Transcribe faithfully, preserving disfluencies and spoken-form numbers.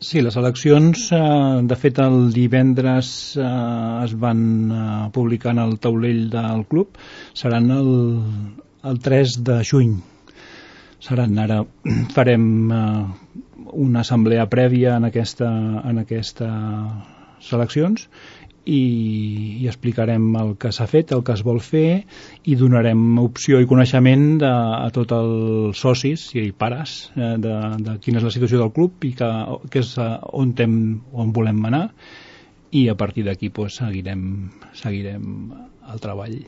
Sí, les eleccions, eh, de fet el divendres eh, es van eh, publicar en el taulell del club, seran el, el tres de juny. Seran ara, farem eh, una assemblea prèvia en aquesta, en aquestes eleccions i, i explicarem el que s'ha fet, el que es vol fer i donarem opció i coneixement de, a tots els socis i pares eh, de, de quina és la situació del club i que, que és eh, on, tem, on volem anar i a partir d'aquí pues, seguirem, seguirem el treball.